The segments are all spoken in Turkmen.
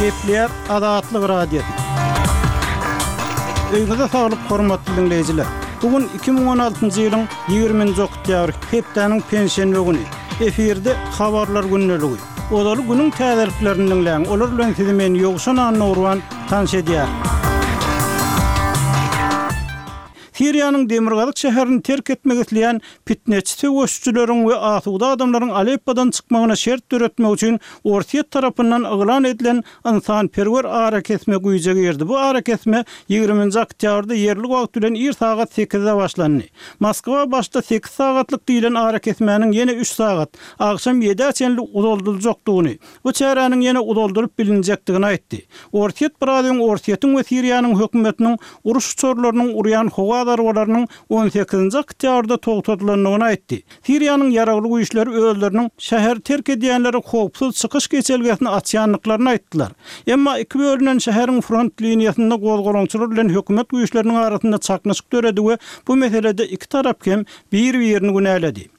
Gepleýär Azatlyk Radiosy. Öýüňize saglyk hormatly diňleýjiler. Bu gün 2016-njy ýylyň 20-nji oktýabry, hepdäniň penşenbe güni. Efirde habarlar gündeligi. Ozaly günüň täzeliklerini diňläň, olar bilen sizi men Ýowşan Annagurban tanyş edýärin. Siriýanyň demirgazyk şäherini terk etmek isleýän pitneçi söweşijileriň we asuda adamlaryň Aleppodan çykmagyna şert döretmek üçin Orsýet tarapyndan yglan edilen ynsanperwer arakesme güýje girdi. Bu arakesme ýigriminji oktýabrda ýerli wagt bilen ir sagat sekizde başlandy. Moskwa başda sekiz sagatlyk diýlen arakesmäniň ýene üç sagat, agşam ýedä çenli uzaldyljakdygyny, bu çäräniň ýene uzaldylyp bilinjekdigini aýtdy. Orsýet biraz öň Orsýetiň we Siriýanyň hökümetiniň uruş uçarlarynyň urýan howa zarbalarynyň on sekizinji oktýabrda togtadylandygyny aýtdy. Siriýanyň ýaragly güýçleri özleriniň şäheri terk edýänlere howpsuz çykyş geçelgesini açýandyklaryny aýtdylar. Emma iki bölünen şäheriň front liniýasynda gozgalaňçylar bilen hökümet güýçleriniň arasynda çaknyşyk döredi we bu meselede iki tarap hem bir-birini günäledi.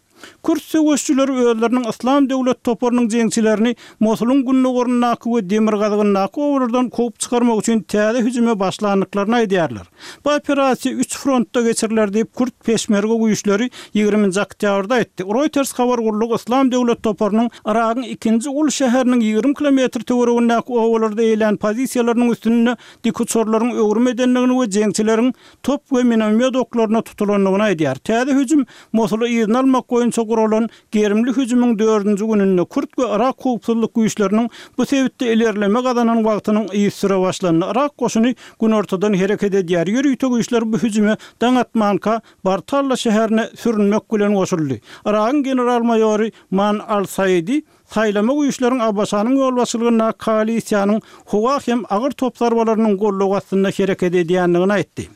Kürt söweşijileri özleriniň Yslam döwlet toparynyň jeňçilerini Mosulyň gündogaryndaky we demirgazygyndaky obalardan kowup çykarmak üçin täze hüjüme başlandyklaryny aýdýarlar. Bu operasiýa üç frontda geçiriler diýip, kürt peşmerge güýçleri ýigriminji oktýabrda aýtdy. Reuters habar gullugy Yslam döwlet toparynyň Yragyň ikinji uly şäheriniň 20 kilometr töweregindäki obalarda eýelän pozisiýalarynyň üstünde dikuçarlaryň öwrüm edendigini we jeňçileriň top we minomýot oklaryna tutulandygyny aýdýar. Täze hüjüm Mosuly yzyna almak boýunça guralan gerimli hüjümiň dördünji gününde kürt we yrak howpsuzlyk güýçleriniň bu sebitde ilerleme gazanan wagtynyň yzysüre başlandy. Yrak goşuny günortadan hereket edýär. Ýörite güýçler bu hüjüme daň atmanka Bartalla şäherine sürünmek bilen goşuldy. Yragyň general-maýory Man al-Saidi Saýlama güýçleriň ABŞ-nyň ýolbaşçylygyndaky koalisiýanyň howa hem agyr top zarbalarynyň goldawy astynda hereket edýändigini aýtdy.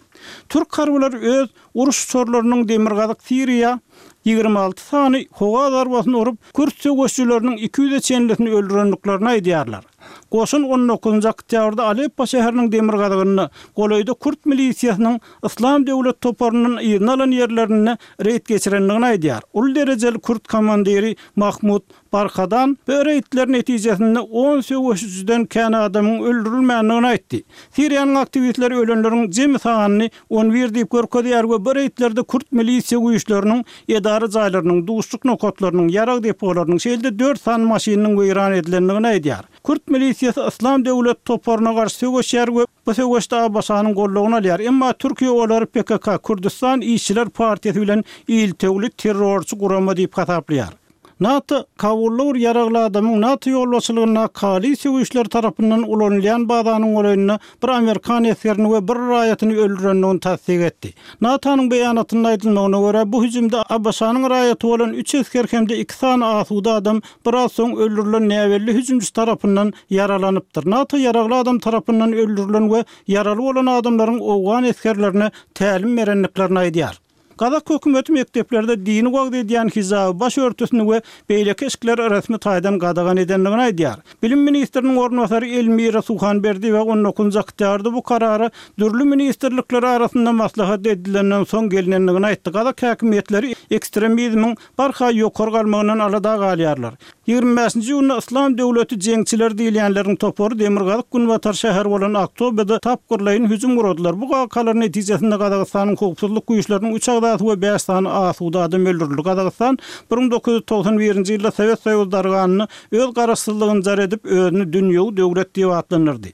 Türk harbylary öz uruş uçarlarynyň demirgazyk Siriýa 26 sany howa zarbasyny urup, kürt söweşijileriniň 200-e çenlisini öldürendiklerini aýdýarlar. Goşun on dokuzynjy oktýabrda Aleppo şäheriniň demirgazygynda, golaýda kürt milisiýasynyň Yslam döwlet toparyndan yzyna alan ýerlerinde reýd geçirendigini aýdýar. Uly derejeli kürt komandiri Mahmut Barkadan bu reýdler netijesinde on söweşijiden kän adamyň öldürilmändigini aýtdy. Siriýanyň aktiwistleri ölenleriň jemi sanyny on bir diýip görkezýär we bu reýdlerde kürt milisiýa güýçleriniň edara jaýlarynyň, duşluk nokatlarynyň, ýarag depolarynyň, şeýle-de dört sany maşynynyň weýran edilendigini aýdýar. Kürt milisiýasy Yslam döwlet toparyna garşy söweşýär we bu söweşde ABŞ-nyň goldawyny alýar. Emma Türkiýe olary PKK, Kürdüstan işçiler partiýasy bilen iltewli terrorçy gurama diýip hasaplaýar. NATO, Kabulda bir ýaragly adamyň NATO ýolbaşçylygyndaky koalisiýa güýçleri tarapyndan ulanylýan bazanyň golaýynda bir amerikan esgerini we bir raýatyny öldürendigini tassyk etdi. NATO-nyň beýanatynda aýdylmagyna görä, bu hüjümde ABŞ-nyň raýaty bolan üç esger hem-de iki sany asuda adam biraz soň öldürilen näbelli hüjümçi tarapyndan ýaralanypdyr. NATO ýaragly adam tarapyndan öldürilen we ýaraly bolan adamlaryň owgan esgerlerine tälim berendiklerini aýdýar. Gazak hökümeti mekdeplerde dini wagyz edýän hijaby, baş örtüsini we beýleki eşikleri resmi taýdan gadagan edendigini aýdýar. Bilim ministriniň orunbasary Elmira Suhanberdiýewa on dokuzynjy oktýabrda bu karara dürli ministrlikler arasynda maslahat edilenden soň gelnendigini aýtdy. Gazak häkimiýetleri ekstremizmiň barha ýokary galmagyndan alada galýarlar. 25-nji iýunda Yslam döwleti jeňçileri diýilýänleriň topary demirgazyk-günbatar şäheri bolan Aktobede tapgyrlaýyn hüjüm guradylar. Bu wakalar netijesinde Gazagystanyň howpsuzlyk güýçleriniň üç agzasy we bäş sany asuda adam öldürildi. Gazagystan 1991-nji ýylda Sowet Soýuzy darganynda öz garaşsyzlygyny jar edip, özüni dünýewi döwlet diýip atlandyrdy.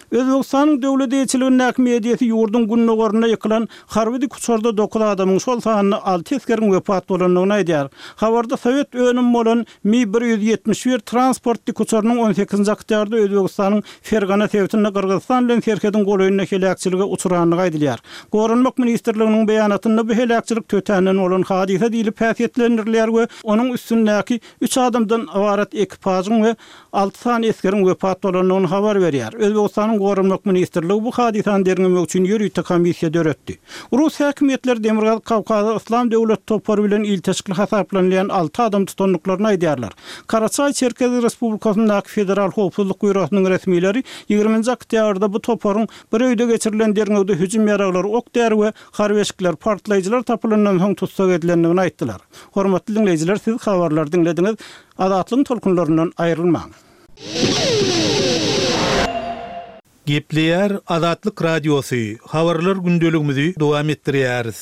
Özbegistanyň döwlet eýeçiligindäki mediasy ýurduň gündogarynda ýykylan harby dikuçarda dokuz adamyň, şol sanda alty esgeriň wepat bolandygyny aýdýar. Habarda sowet önümi bolan Mi 171 transport dikuçarynyň on sekizinji oktýabrda Özbegistanyň Fergana sebitinde Gyrgyzystan bilen serhediň golaýynda heläkçilige uçrandygy aýdylýar. Goranmak ministrliginiň beýanatynda bu heläkçilik tötänden bolan hadysa diýlip häsiýetlendirilýär we onuň üstündäki üç adamdan ybarat ekipažyň we alty sany esgeriň wepat bolandygyny habar berýär. Özbegistanyň Goranmak ministrligi bu hadysany derňemek üçin ýörite komissiýa döretdi. Rus häkimiýetleri Demirgazyk Kawkazda Yslam döwleti topary bilen ilteşikli hasaplanylýan alty adam tutandyklaryny aýdýarlar. Karaçaý-Çerkez Respublikasyndaky Federal howpsuzlyk býurosynyň resmileri ýigriminji oktýabrda bu toparyň bir öýde geçirilen derňewde hüjüm ýaraglary, ok-däri we harby eşikler, partlaýjylar tapylandan soň tussag edilendigini aýtdylar. Hormatly diňleýjiler, siz habarlary diňlediňiz. Azatlygyň tolkunlaryndan aýrylmaň! Gepleýär Azatlyk Radiosy, Habarlar gündeligimizi dowam etdirýäris.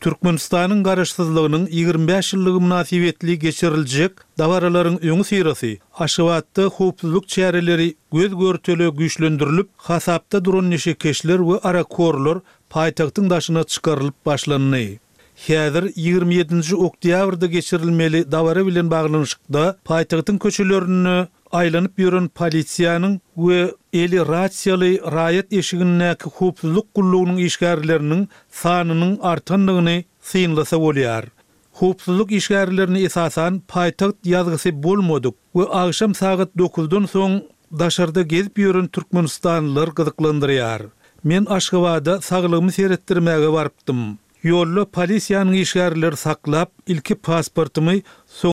Türkmenistanyň Garaşsyzlygynyň 25 ýyllygy mynasybetli geçiriljek dabaralaryň öňüsyrasy Aşgabatda howpsuzlyk çäreleri göz-görtele güýçlendirilip, hasapda duran neşekeşler we arakhorlar paýtagtyň daşyna çykarylyp başlandy. Häzir 27-nji oktýabrda geçirilmeli dabara bilen baglanyşykda paýtagtyň köçelerinde aýlanyp ýören polisiýanyň we eli rasiýaly raýat eşigindäki howpsuzlyk gullugynyň işgärleriniň sanynyň artandygyny synlasa bolýar. Howpsuzlyk işgärlerini esasan paýtagt ýazgysy bolmadyk we agşam sagat dokuzdan soň daşarda gezip ýören türkmenistanlylar gyzyklandyrýar. Men Aşgabada saglygymy seretdirmäge barypdym. Ýolda polisiýanyň işgärleri saklap, ilki pasportymy, soňra.